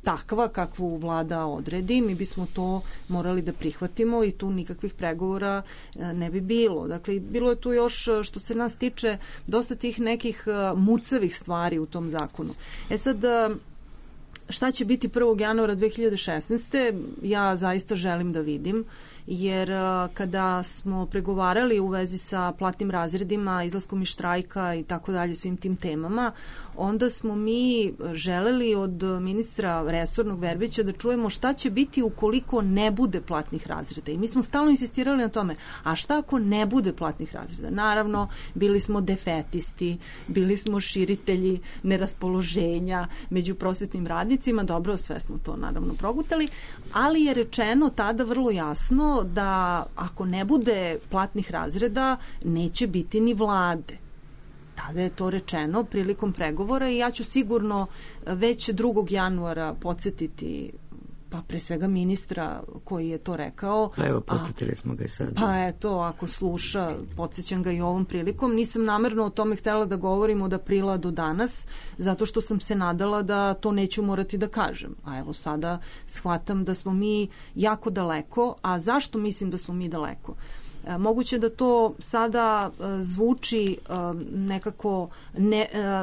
S3: takva kakvu vlada odredi, mi bismo to morali da prihvatimo i tu nikakvih pregovora ne bi bilo. Dakle, bilo je tu još, što se nas tiče, dosta tih nekih mucavih stvari u tom zakonu. Sad, šta će biti 1. januara 2016. ja zaista želim da vidim, jer kada smo pregovarali u vezi sa platnim razredima, izlaskom iz štrajka i tako dalje, svim tim temama, onda smo mi želeli od ministra resornog Verbića da čujemo šta će biti ukoliko ne bude platnih razreda. I mi smo stalno insistirali na tome, a šta ako ne bude platnih razreda? Naravno, bili smo defetisti, bili smo širitelji neraspoloženja među prosvetnim radnicima, dobro, sve smo to naravno progutali, ali je rečeno tada vrlo jasno da ako ne bude platnih razreda, neće biti ni vlade. Tada je to rečeno prilikom pregovora i ja ću sigurno već 2. januara podsjetiti, pa pre svega ministra koji je to rekao.
S2: Pa evo, podsjetili smo ga i sad.
S3: Pa eto, ako sluša, podsjećam ga i ovom prilikom. Nisam namerno o tome htjela da govorim od aprila do danas, zato što sam se nadala da to neću morati da kažem. A evo sada shvatam da smo mi jako daleko. A zašto mislim da smo mi daleko? Moguće da to sada zvuči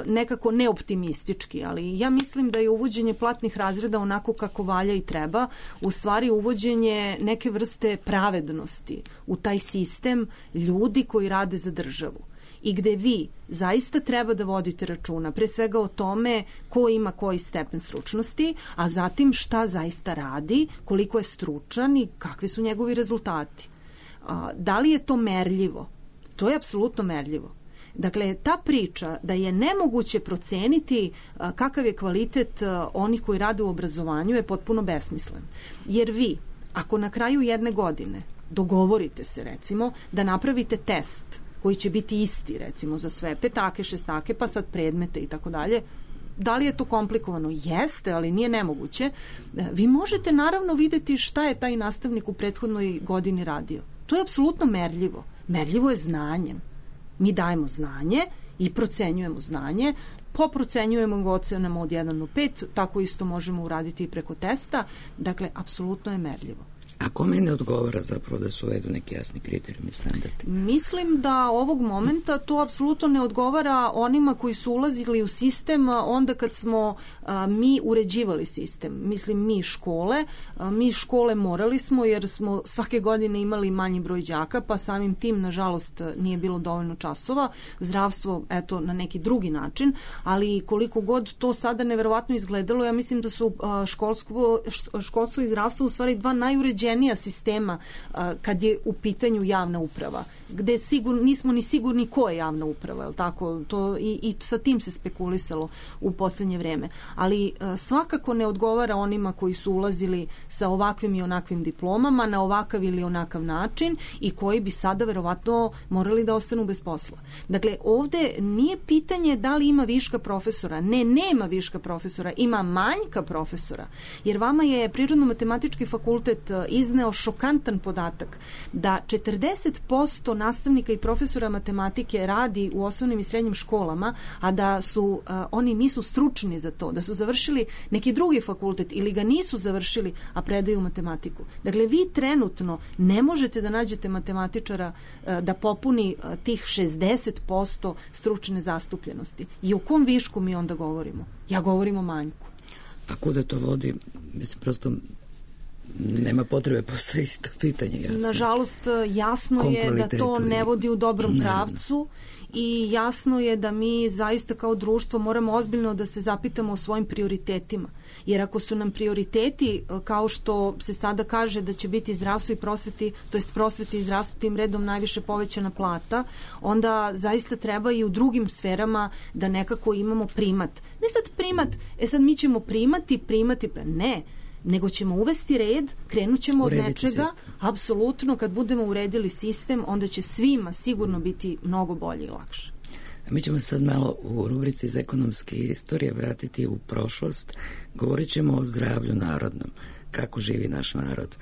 S3: nekako neoptimistički, ali ja mislim da je uvođenje platnih razreda onako kako valja i treba, u stvari uvođenje neke vrste pravednosti u taj sistem ljudi koji rade za državu. I gde vi zaista treba da vodite računa pre svega o tome ko ima koji stepen stručnosti, a zatim šta zaista radi, koliko je stručan i kakvi su njegovi rezultati. Da li je to merljivo? To je apsolutno merljivo. Dakle, ta priča da je nemoguće proceniti kakav je kvalitet onih koji rade u obrazovanju je potpuno besmislen. Jer vi, ako na kraju jedne godine dogovorite se, recimo, da napravite test koji će biti isti, recimo, za sve petake, šestake, pa sad predmete i tako dalje, da li je to komplikovano? Jeste, ali nije nemoguće. Vi možete naravno videti šta je taj nastavnik u prethodnoj godini radio. To je apsolutno merljivo. Merljivo je znanjem. Mi dajemo znanje i procenjujemo znanje, poprocenjujemo ga ocenama od 1 do 5, tako isto možemo uraditi i preko testa. Dakle, apsolutno je merljivo.
S2: A kome ne odgovara zapravo da su uvedu neki jasni kriterijumi i standardi?
S3: Mislim da ovog momenta to apsolutno ne odgovara onima koji su ulazili u sistem onda kad smo mi uređivali sistem. Mislim, mi škole morali smo jer smo svake godine imali manji broj đaka, pa samim tim, nažalost, nije bilo dovoljno časova. Zdravstvo, eto, na neki drugi način, ali koliko god to sada neverovatno izgledalo, ja mislim da su školstvo i zdravstvo u stvari dva najuređenija sistema kad je u pitanju javna uprava, gde nismo ni sigurni ko je javna uprava, je li tako? I sa tim se spekulisalo u poslednje vreme. Ali svakako ne odgovara onima koji su ulazili sa ovakvim i onakvim diplomama na ovakav ili onakav način i koji bi sada verovatno morali da ostanu bez posla. Dakle, ovde nije pitanje da li ima viška profesora. Ne, nema viška profesora, ima manjka profesora. Jer vama je Prirodno-matematički fakultet izneo šokantan podatak da 40% nastavnika i profesora matematike radi u osnovnim i srednjim školama, a da su oni nisu stručni za to, da su završili neki drugi fakultet ili ga nisu završili, a predaju matematiku. Dakle, vi trenutno ne možete da nađete matematičara da popuni tih 60% stručne zastupljenosti. I o kom višku mi onda govorimo? Ja govorim o manjku.
S2: A kuda to vodi? Mislim, prosto nema potrebe postaviti to pitanje, jasno.
S3: Nažalost, jasno je da to ne vodi u dobrom pravcu i jasno je da mi zaista kao društvo moramo ozbiljno da se zapitamo o svojim prioritetima. Jer ako su nam prioriteti, kao što se sada kaže da će biti zdravstvo i prosveti, to jest prosveti i zdravstvo tim redom najviše povećana plata, onda zaista treba i u drugim sferama da nekako imamo primat. Ne sad primat, sad mi ćemo primati, ne, nego ćemo uvesti red, krenut ćemo od nečega, apsolutno, kad budemo uredili sistem, onda će svima sigurno biti mnogo bolje i lakše.
S2: Mi ćemo sad malo u rubrici iz ekonomske istorije vratiti u prošlost. Govorit ćemo o zdravlju narodnom, kako živi naš narod.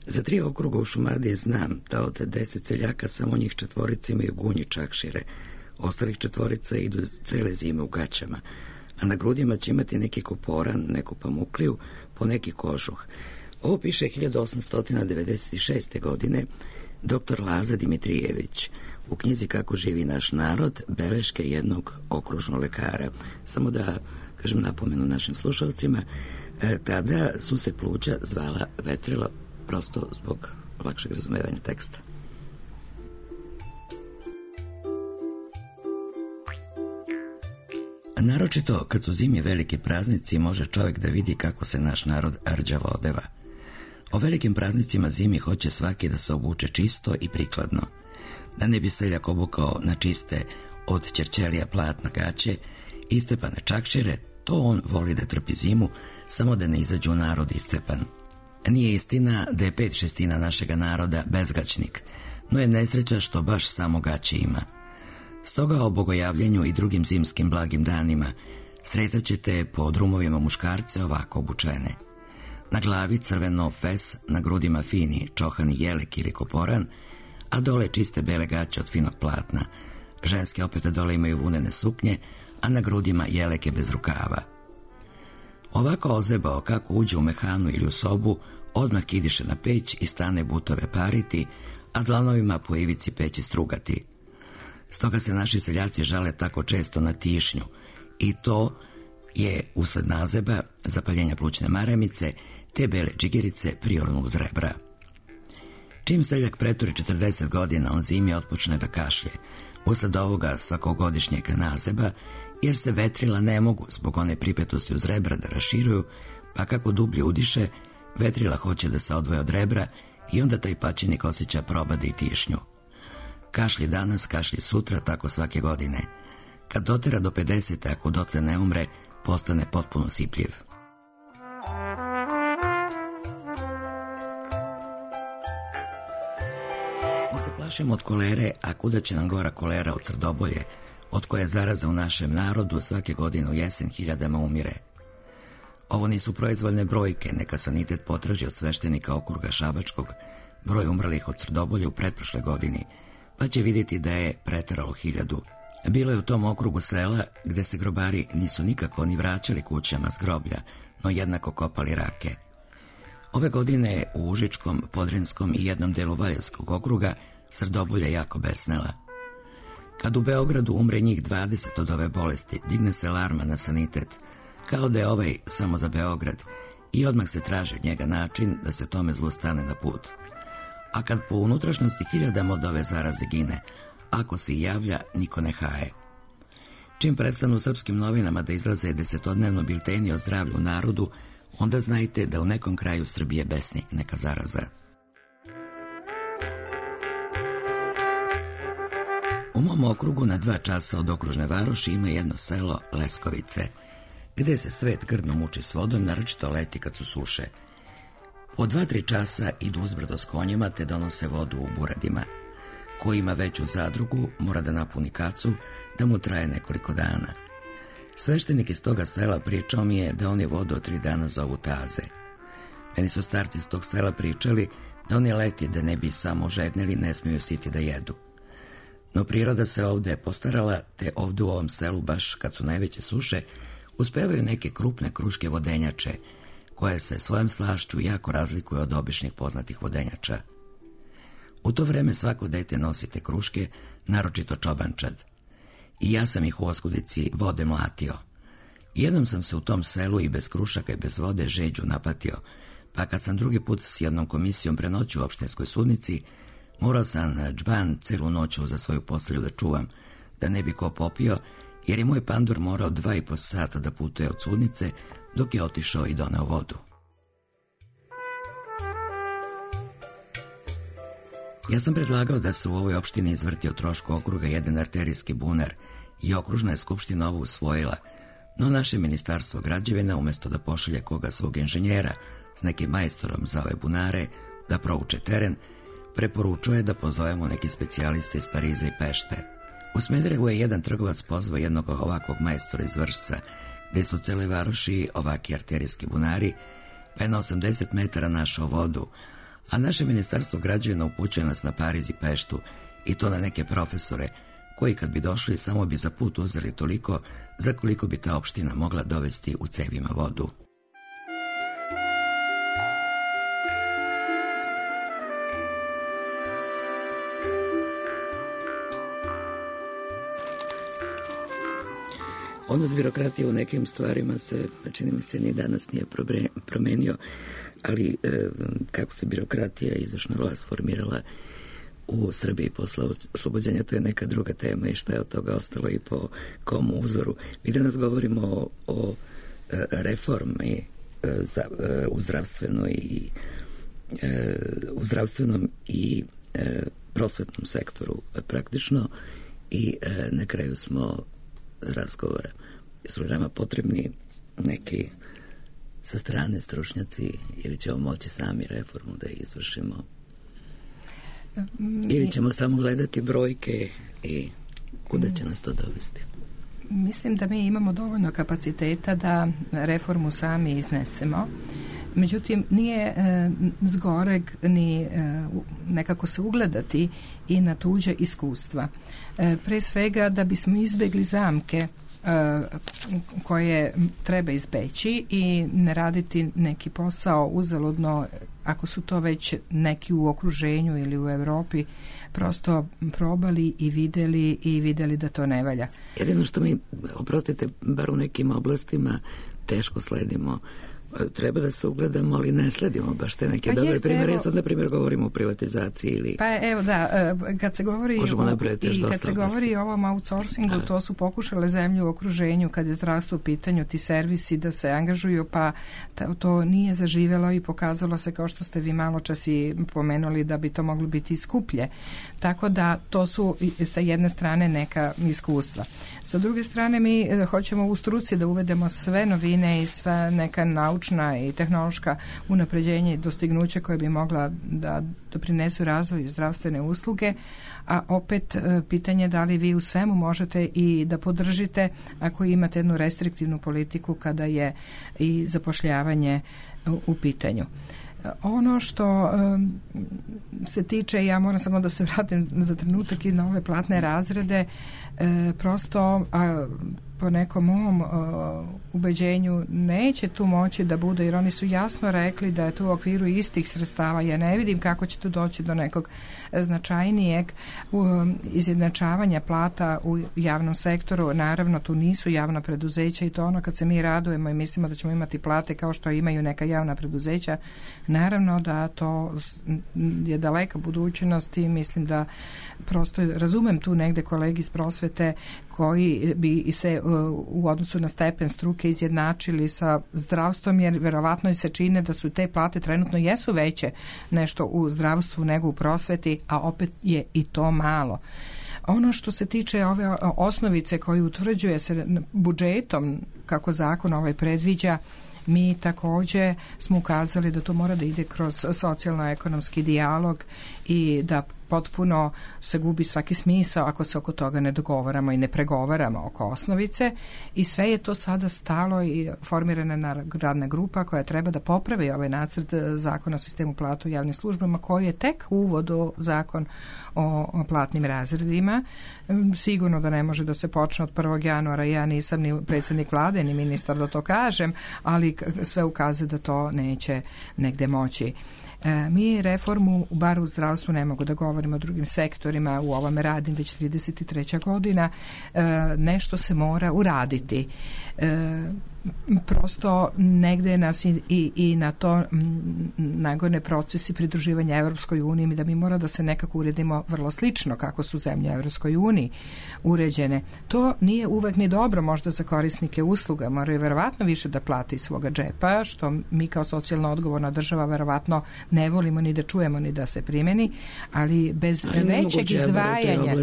S2: Za 3 okruga u Šumadiji znam da od 10 seljaka samo njih 4 imaju gunji čakšire, ostalih 4 idu cele zime u gaćama, a na grudima će imati neki koporan, neku pamukliju, po neki kožuh. Ovo piše 1896. godine dr. Laza Dimitrijević u knjizi Kako živi naš narod, beleške jednog okružnog lekara. Samo da kažem napomenu našim slušalcima, tada su se pluća zvala vetrila, prosto zbog lakšeg razumevanja teksta. Naročito kad su zimi veliki praznici može čovjek da vidi kako se naš narod rđavo odeva. O velikim praznicima zimi hoće svaki da se obuče čisto i prikladno. Da ne bi seljak obukao na čiste od ćerćelija platna gaće, iscepane čakšire, to on voli da trpi zimu, samo da ne izađu u narod iscepan. Nije istina da je 5/6 našega naroda bezgaćnik, no je nesreća što baš samo gaće ima. Stoga o bogojavljenju i drugim zimskim blagim danima sretaćete po drumovima muškarce ovako obučene. Na glavi crveno fes, na grudima fini čohani jelek ili koporan, a dole čiste bele gaće od finog platna. Ženske opet dole imaju vunene suknje, a na grudima jeleke bez rukava. Ovako ozebao kako uđe u mehanu ili u sobu, odmah kidiše na peć i stane butove pariti, a dlanovima po ivici peći strugati. Stoga se naši seljaci žale tako često na tišnju i to je usled nazeba, zapaljenja plućne maramice, te bele džigerice priorno uz rebra. Čim seljak preturi 40 godina, on zimi otpočne da kašlje, usled ovoga svakogodišnjeg nazeba, jer se vetrila ne mogu zbog one pripetosti uz rebra da raširuju, pa kako dublje udiše, vetrila hoće da se odvoje od rebra i onda taj paćenik osjeća probade i tišnju. Kašlji danas, kašlji sutra, tako svake godine. Kad dotera do 50, ako dotle ne umre, postane potpuno sipljiv. Mi se plašimo od kolere, a kuda će nam gora kolera od Crdobolje, od koje zaraza u našem narodu svake godine u jesen hiljadama umire. Ovo nisu proizvoljne brojke, neka sanitet potraži od sveštenika okruga Šabačkog broj umrlih od Crdobolje u pretprošle godini, pa će vidjeti da je preteralo 1000. Bilo je u tom okrugu sela gde se grobari nisu nikako ni vraćali kućama s groblja, no jednako kopali rake. Ove godine u Užičkom, Podrinjskom i jednom delu Valjevskog okruga srdobulja jako besnela. Kad u Beogradu umre njih 20 od ove bolesti, digne se alarma na sanitet, kao da je ovaj samo za Beograd, i odmah se traži od njega način da se tome zlu stane na put. A kad po unutrašnjosti hiljadama od ove zaraze gine, ako se i javlja, niko ne haje. Čim prestanu u srpskim novinama da izlaze desetodnevno bilteni o zdravlju narodu, onda znajte da u nekom kraju Srbije besni neka zaraza. U mom okrugu na 2 časa od okružne varoši ima jedno selo Leskovice, gde se svet grdno muči s vodom, naročito leti kad su suše. Po 2-3 časa idu uzbrdo s konjima te donose vodu u buradima. Ko ima veću zadrugu mora da napuni kacu, da mu traje nekoliko dana. Sveštenik iz toga sela pričao mi je da oni vodu od 3 dana zovu taze. Meni su starci iz tog sela pričali da oni leti da ne bi samo žednili, ne smiju siti da jedu. No priroda se ovde postarala, te ovde u ovom selu, baš kad su najveće suše, uspevaju neke krupne kruške vodenjače, koje se svojom slašću jako razlikuju od običnih poznatih vodenjača. U to vreme svako dete nosi te kruške, naročito čobančad. I ja sam ih u oskudici vode mlatio. Jednom sam se u tom selu i bez krušaka i bez vode žeđu napatio, pa kad sam drugi put s jednom komisijom prenoćio u opštinskoj sudnici, morao sam na džban celu noću za svoju postelju da čuvam, da ne bi ko popio, jer je moj pandur morao 2,5 sata da putuje od sudnice, dok je otišao i doneo vodu. Ja sam predlagao da se u ovoj opštini izvrti o trošku okruga jedan arterijski bunar i okružna je skupština ovo usvojila, no naše ministarstvo građevina, umesto da pošalje koga svog inženjera s nekim majstorom za ove bunare da prouče teren, preporučuje da pozovemo neke specijaliste iz Pariza i Pešte. U Smederevu je jedan trgovac pozvao jednog ovakvog majstora iz Vršca, gde su u celoj varoši ovaki arterijski bunari, pa je na 80 metara našao vodu, a naše ministarstvo građevina upućuje nas na Pariz i Peštu, i to na neke profesore, koji kad bi došli samo bi za put uzeli toliko za koliko bi ta opština mogla dovesti u cevima vodu. Odnos birokratije u nekim stvarima se, čini mi se, ni danas nije promenio, ali kako se birokratija i izvršna vlast formirala u Srbiji posle oslobođenja, to je neka druga tema i šta je od toga ostalo i po kom uzoru. Mi danas govorimo o reformi u zdravstvenom i prosvetnom sektoru praktično, i na kraju smo razgovora. Jesu li nama potrebni neki sa strane stručnjaci ili ćemo moći sami reformu da izvršimo? Ili ćemo samo gledati brojke i kuda će nas to dovesti?
S4: Mislim da mi imamo dovoljno kapaciteta da reformu sami iznesemo. Međutim, nije zgoreg ni nekako se ugledati i na tuđe iskustva. Pre svega da bismo izbegli zamke koje treba izbeći i ne raditi neki posao uzaludno, ako su to već neki u okruženju ili u Evropi prosto probali i videli da to ne valja.
S2: Jedino što mi, oprostite, bar u nekim oblastima teško sledimo. Treba da se ugledamo, ali ne sledimo baš te neke dobre primjere. Ja sad, na primjer, govorimo o privatizaciji ili...
S4: Pa evo da, kad se govori govori o ovom outsourcingu, to su pokušale zemlje u okruženju, kad je zdravstvo u pitanju, ti servisi da se angažuju, pa to nije zaživelo i pokazalo se, kao što ste vi malo čas i pomenuli, da bi to moglo biti skuplje. Tako da to su sa jedne strane neka iskustva. Sa druge strane mi hoćemo u struci da uvedemo sve novine i sve neka naučna i tehnološka unapređenja i dostignuća koje bi mogla da doprinesu razvoju zdravstvene usluge, a opet pitanje da li vi u svemu možete i da podržite ako imate jednu restriktivnu politiku kada je i zapošljavanje u pitanju. Ono što se tiče, ja moram samo da se vratim za trenutak i na ove platne razrede, prosto po nekom mom ubeđenju neće tu moći da bude, jer oni su jasno rekli da je to u okviru istih sredstava. Ja ne vidim kako će tu doći do nekog značajnijeg izjednačavanja plata u javnom sektoru. Naravno, tu nisu javna preduzeća i to ono kad se mi radujemo i mislimo da ćemo imati plate kao što imaju neka javna preduzeća, naravno da to je daleka budućnost i mislim da prosto razumem tu negde kolegi iz prosvete koji bi se u odnosu na stepen struke izjednačili sa zdravstvom, jer verovatno se čine da su te plate trenutno jesu veće nešto u zdravstvu nego u prosveti, a opet je i to malo. Ono što se tiče ove osnovice koju utvrđuje se budžetom, kako zakon predviđa, mi također smo ukazali da to mora da ide kroz socijalno-ekonomski dijalog i da potpuno se gubi svaki smisao ako se oko toga ne dogovaramo i ne pregovaramo oko osnovice, i sve je to sada stalo i formirana radna grupa koja treba da popravi ovaj nacrt zakona o sistemu plata u javnim službama, koji je tek uvod u zakon o platnim razredima. Sigurno da ne može da se počne od 1. januara, ja nisam ni predsjednik vlade ni ministar da to kažem, ali sve ukazuje da to neće negde moći. Mi reformu, bar u zdravstvu, ne mogu da govorimo o drugim sektorima, u ovome radim već 33. godina, nešto se mora uraditi. Prosto negde nas i na to nagone procesi pridruživanja Evropskoj uniji, da mi mora da se nekako uredimo vrlo slično kako su zemlje Evropskoj uniji uređene. To nije uvek ni dobro možda za korisnike usluga, moraju verovatno više da plati iz svoga džepa, što mi kao socijalno odgovorna država verovatno ne volimo ni da čujemo ni da se primeni, ali bez većeg izdvajanja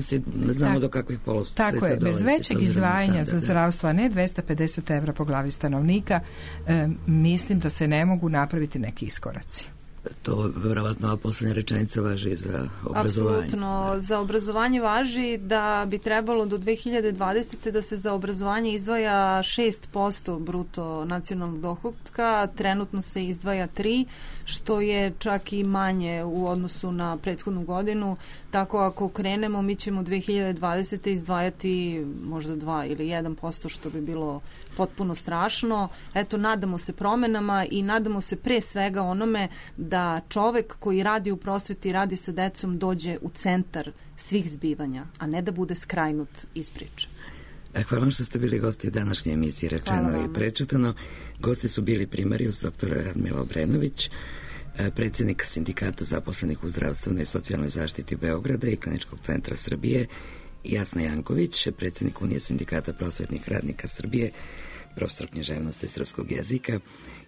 S4: tako je, bez većeg izdvajanja za zdravstvo, a ne 250 evra po glavi stanovnika, mislim da se ne mogu napraviti neki iskoraci.
S2: To verovatno poslednja rečenica važi za obrazovanje.
S3: Apsolutno, za obrazovanje važi da bi trebalo do 2020. da se za obrazovanje izdvaja 6% bruto nacionalnog dohotka, trenutno se izdvaja 3%, što je čak i manje u odnosu na prethodnu godinu, tako ako krenemo mi ćemo 2020. izdvajati možda 2 ili 1%, što bi bilo potpuno strašno. Eto, nadamo se promenama i nadamo se pre svega onome da čovek koji radi u prosveti, radi sa decom, dođe u centar svih zbivanja, a ne da bude skrajnut iz priče.
S2: Hvala vam što ste bili gosti današnje emisije Rečeno i prečutano. Gosti su bili primarius dr. Radmila Obrenović, predsjednik Sindikata zaposlenih u zdravstvenoj i socijalnoj zaštiti Beograda i Kliničkog centra Srbije, Jasna Janković, predsjednik Unije sindikata prosvetnih radnika Srbije, profesor književnosti i srpskog jezika,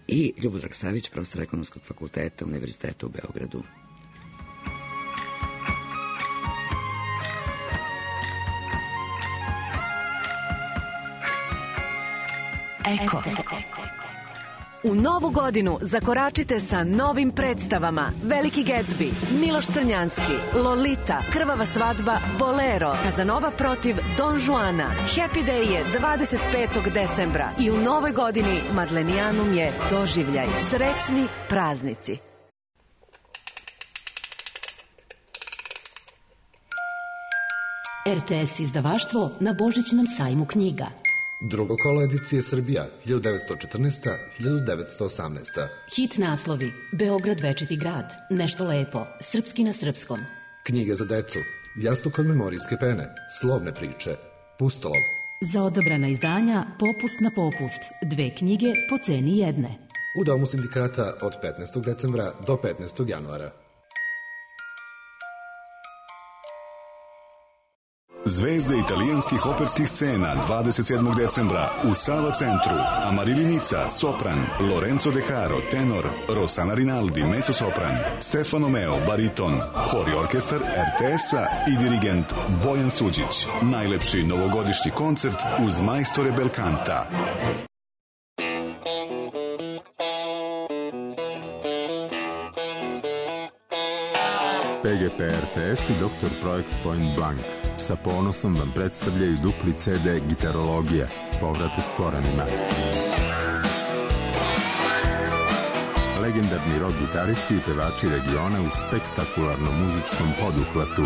S2: i Ljubodrag Savić, profesor Ekonomskog fakulteta Univerziteta u Beogradu.
S6: Eko. U novu godinu zakoračite sa novim predstavama: Veliki Gatsby, Miloš Crnjanski, Lolita, Krvava svadba, Bolero, Kazanova protiv Don Juana. Happy Day je 25. decembra i u novoj godini Madlenijanum je doživljaj. Srećni praznici.
S7: RTS izdavaštvo na Božićnom sajmu knjiga.
S8: Drugo kolo edicije Srbija, 1914-1918.
S7: Hit naslovi: Beograd večiti grad, Nešto lepo, Srpski na srpskom.
S8: Knjige za decu, Jastuk od memorijske pene, Slovne priče, Pustolov.
S7: Za odabrana izdanja Popust na popust, 2 knjige po ceni jedne.
S8: U Domu sindikata od 15. decembra do 15. januara.
S9: Zvezde italijanskih operskih scena 27. decembra u Sava centru. Amarili Nica, sopran, Lorenzo De Caro, tenor, Rossana Rinaldi, mezzosopran, Stefano Meo, bariton, hor i orkestar RTS-a i dirigent Bojan Suđić. Najlepši novogodišnji koncert uz majstore Belkanta.
S10: PGP RTS i Dr. Projekt Point Blank sa ponosom vam predstavljaju dupli CD Gitarologija, povratak korenima. Legendarni rock gitaristi i pevači regiona u spektakularnom muzičkom poduhvatu.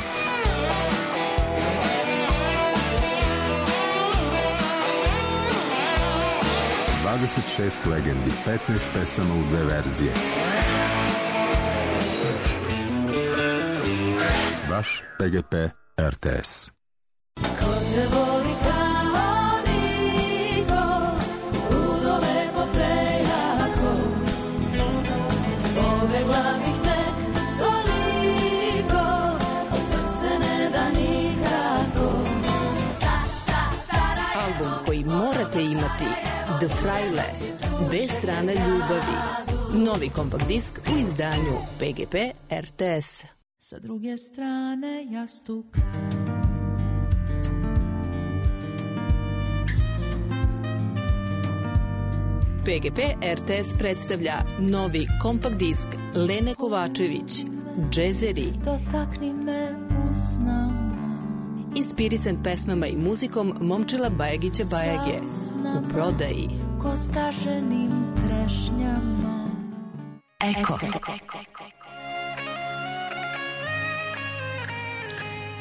S10: 26 legendi, 15 pesama u 2 verzije. Vaš PGP RTS.
S11: Ko te voli kao niko, ludo lepo prejako, pobegla bih te toliko, a srce ne da nikako.
S12: Album koji morate imati, The Fraile, dve strane ljubavi. Novi kompakt disk u izdanju PGP RTS.
S11: Sa druge strane jastuka.
S12: PGP RTS predstavlja novi kompakt disk Lene Kovačević, Džezeri.
S11: Dotakni me usnama.
S12: Inspirisan pesmama i muzikom Momčila Bajagića Bajage. U prodaji.
S11: Ko skaženim trešnjama.
S6: Eko.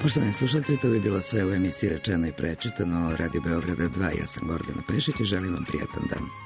S2: Poštovani slušalci, to bi bilo sve u emisiji Rečeno i prećutano Radio Beograda 2. Ja sam Gordana Pešić i želim vam prijatan dan.